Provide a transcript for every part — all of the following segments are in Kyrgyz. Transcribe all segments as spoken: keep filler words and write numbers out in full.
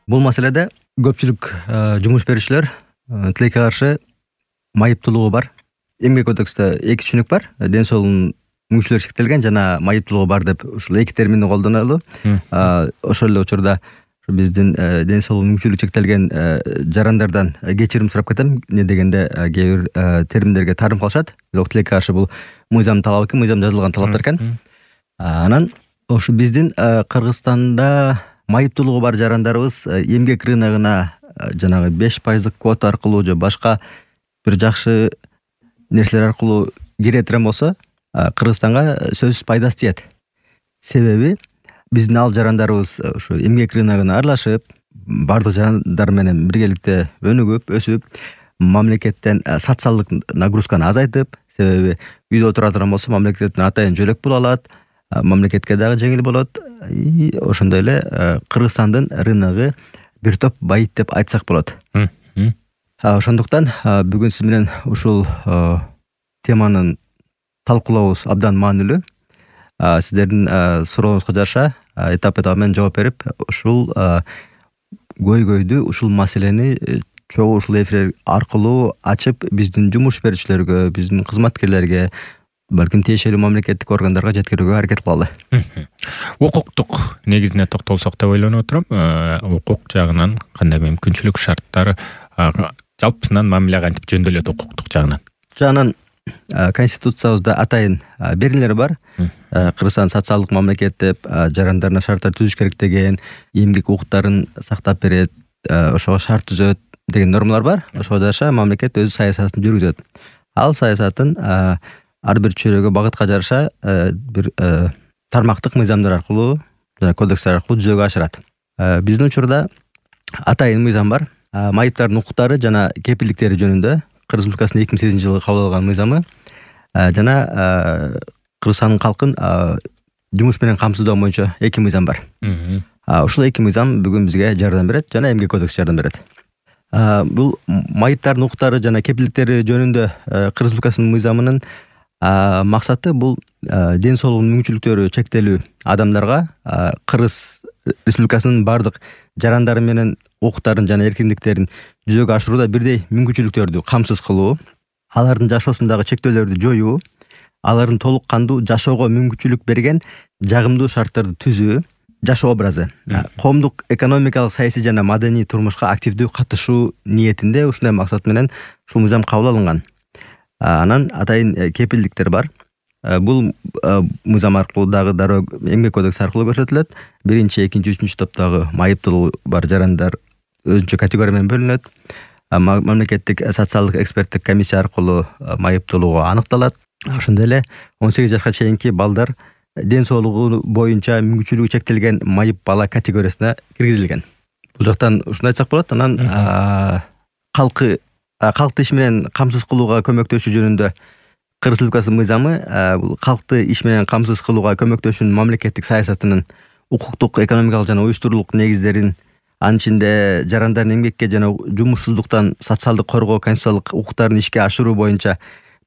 Бул маселеде көпчүлүк жумуш берүүчүлөр тилекке каршы майыптуулугу бар. Эмгек кодексте эки түшүнүк бар. Ден соолугунун мүмкүнчүлүгү чектелген жана майыптуулугу бар деп ушул эки терминди колдонулу. Ошол эле учурда биздин ден соолугунун мүмкүнчүлүгү чектелген жарандардан кечирим сурап кетем. Не дегенде кээ бир терминдерге таарым кылышат. Бирок тилекке каршы бул мыйзам талабы экен, мыйзамда жазылган талаптар экен. Анан ошо биздин Кыргызстанда майыптуулугу бар жарандарыбыз эмгек рыногуна жанагы беш пайыздык квота аркылуу же башка бир жакшы нерселер аркылуу кире турган болсо, Кыргызстанга сөзсүз пайдасы тиет. Себеби биздин ал жарандарыбыз ушу эмгек рыногуна аралашып, бардык жарандар менен биргеликте өнүгүп, өсүп, мамлекеттен социалдык нагрузканы азайтып, себеби үйдө отура турган болсо мамлекеттен атайын жөлөк боло алат, мамлекетке дагы жеңил болот. Ошондой эле Кыргызстандын рыногу бир топ байыт деп айтсак болот. Ошондуктан бүгүн сиз менен ушул теманын талкуулообуз абдан маанилүү. Сиздердин сурооңузга жараша этап этап менен жооп берип, ушул көйгөйдү, ушул маселени чогуу ушул эфир аркылуу ачып, биздин жумуш берүүчүлөргө, биздин кызматкерлерге, балким тиешелүү мамлекеттик органдарга жеткирүүгө аракет кылалы. Укуктук негизине токтолсок деп ойлонуп отурам. Укук жагынан кандай мүмкүнчүлүк, шарттар, жалпысынан мамиле кантип жөндөөлөт укуктук жагынан? Жагынан Конституциябызда атайын берүүлөр бар. Кыргызстан социалдык мамлекет деп жарандарына шарттар түзүш керек деген, эмгек укуктарын сактап берет, ошого шарт түзөт деген нормалар бар. Ошого жараша мамлекет өз саясатын жүргүзөт. Ал саясатын ар бир чөйрөгө багытка жараша бир тармактык мыйзамдар аркылуу жана кодекстер аркылуу жүзөгө ашырат. Биздин учурда атайын мыйзам бар. Майыптардын укуктары жана кепилдиктери жөнүндө Кыргыз Республикасынын эки миң сегизинчи жылы кабыл алган мыйзамы жана Кыргызстандын калкын жумуш менен камсыздоо боюнча эки мыйзам бар. Ушул эки мыйзам бүгүн бизге жардам берет жана эмгек кодекс жардам берет. Бул майыптардын укуктары жана кепилдиктери жөнүндө Кыргыз Республикасынын мыйзамынын максаты бул ден соолугунун мүмкүнчүлүктөрү чектелүү адамдарга Кыргыз Республикасынын бардык жарандары менен укуктарын жана эркиндиктерин жүзөгө ашырууда бирдей мүмкүнчүлүктөрдү камсыз кылуу, алардын жашоосундагы чектөөлөрдү жоюу, алардын толук кандуу жашоого мүмкүнчүлүк берген жагымдуу шарттарды түзүү, жашоо образы, коомдук экономикалык, саясий жана маданий турмушка активдүү катышуу ниетинде ушундай максат менен ушул мыйзам кабыл алынган. Анан атайын кепилдиктер бар. Бул мыйзам аркылуу дагы дароо эмгек кодекси аркылуу көрсөтүлөт. Биринчи, экинчи, үчүнчү топтогу майыптуулугу бар жарандар өзүнчө категория менен бөлүнөт. Мамлекеттик социалдык эксперттик комиссия аркылуу майыптуулугу аныкталат. Ошондой эле он сегиз жашка чейинки балдар ден соолугу боюнча мүмкүнчүлүгү чектелген майып бала категориясына киргизилген. Бул жактан ушуну айтсак болот. Анан калкы калкты иш менен камсыз кылууга көмөктөшүү жөнүндө Кыргыз Республикасынын мыйзамы бул калкты иш менен камсыз кылууга көмөктөшүүнүн мамлекеттик саясатынын укуктук, экономикалык жана уюштуруулук негиздерин, анын ичинде жарандардын эмгекке жана жумушсуздуктан социалдык коргоо, конституциялык укуктарын ишке ашыруу боюнча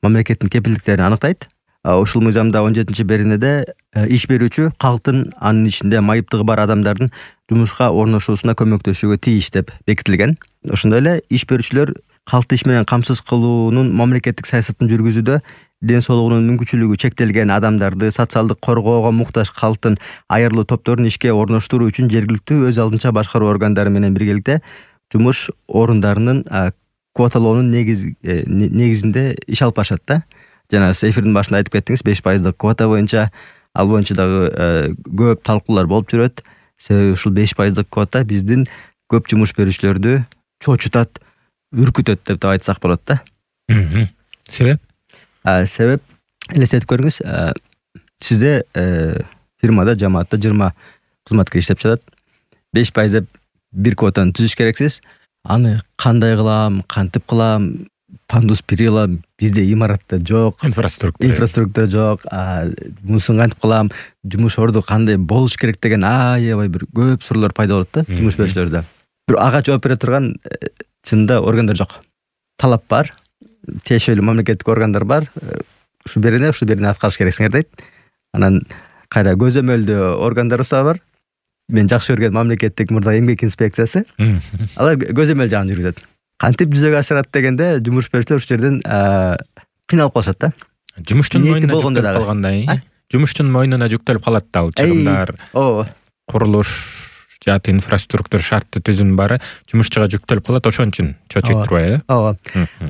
мамлекеттин кепилдиктерин аныктайт. Ушул мыйзамда он жетинчи беренеде иш берүүчү калктын, анын ичинде майыптыгы бар адамдардын жумушка орношуусуна көмөктөшүүгө тийиш деп бекитилген. Ошондой эле иш берүүчүлөр калкты иш менен камсыз кылуунун мамлекеттик саясатын жүргүзүүдө ден соолугунун мүмкүнчүлүгү чектелген адамдарды, социалдык коргоого муктаж калктын айырылуу топторун ишке орноштуруу үчүн жергиликтүү өз алдынча башкаруу органдары менен биргеликте жумуш орундарынын квоталоонун негизинде иш алып барышат да. Жана сиз эфирдин башында айтып кеттиңиз, беш пайыздык квота боюнча, ал боюнча дагы көп талкуулар болуп жүрөт. Себеби ушул беш пайыздык квота биздин көп жумуш берүүчүлөрдү чочутат, үркүтөт деп да айтсак болот да. Себеп? Себеп элестетип көрүңүз, сизде фирмада, жамаатта жыйырма кызматкер иштеп жатат. беш пайыз деп бир квотаны түзүш керексиз. Аны кандай кылам, кантип кылам, пандус перила бизде имаратта жок, инфраструктура инфраструктура жок, мусун кантип кылам, жумуш орду кандай болуш керек деген аябай бир көп суроолор пайда болот да жумуш берүүчүлөрдө. Бир ага жооп бере турган чынында органдар жок. Талап бар, тиешелүү мамлекеттик органдар бар. Ушу берене, ушу берене аткарыш керексиңер дейт. Анан кайра көзөмөлдөө органдарыбыз бар. мен жакшы көргөн мамлекеттик мурда эмгек инспекциясы алар көзөмөл жагын жүргүзөт. Кантип жүзөгө ашырат дегенде жумуш берүүчүлөр ушул жерден кыйналып калышат да. Жумушчунун мойнуна жүктөлүп калгандай, жумушчунун мойнуна жүктөлүп калат да ал чыгымдар, курулуш жааты инфраструктура шарттуу түзүм баары жумушчуга жүктөлүп калат, ошон үчүн чочойт турбайбы? Ооба.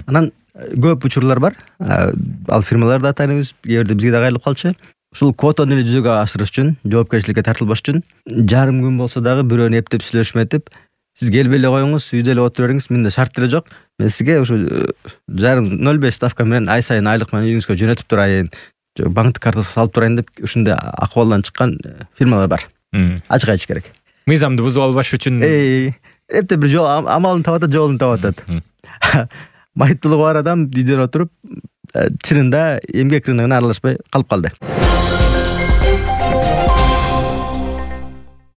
Анан көп учурлар бар. Ал фирмаларды да тааныйбыз, кээ бирде бизге да кайрылып калчу. Ушул квотаны эле жүзөгө ашырыш үчүн, жоопкерчиликке тартылбаш үчүн жарым күн болсо дагы бирөөнү эптеп сүйлөшмөтүп, сиз келбей эле коюңуз, үйдө эле отура бериңиз, мындай шарт деле жок. Мен сизге ушу жарым ноль беш ставка менен ай сайын айлык менен үйүңүзгө жөнөтүп турайын, банктык картасына салып турайын деп ушундай акыбалдан чыккан фирмалар бар. Ачык айтыш керек. Мыйзамды бузуп албаш үчүн эптеп бир жол амалын таап атат, жолун таап атат. Майыптуулугу бар адам үйдөн отуруп чынында эмгек рыногуна аралашпай калып калды.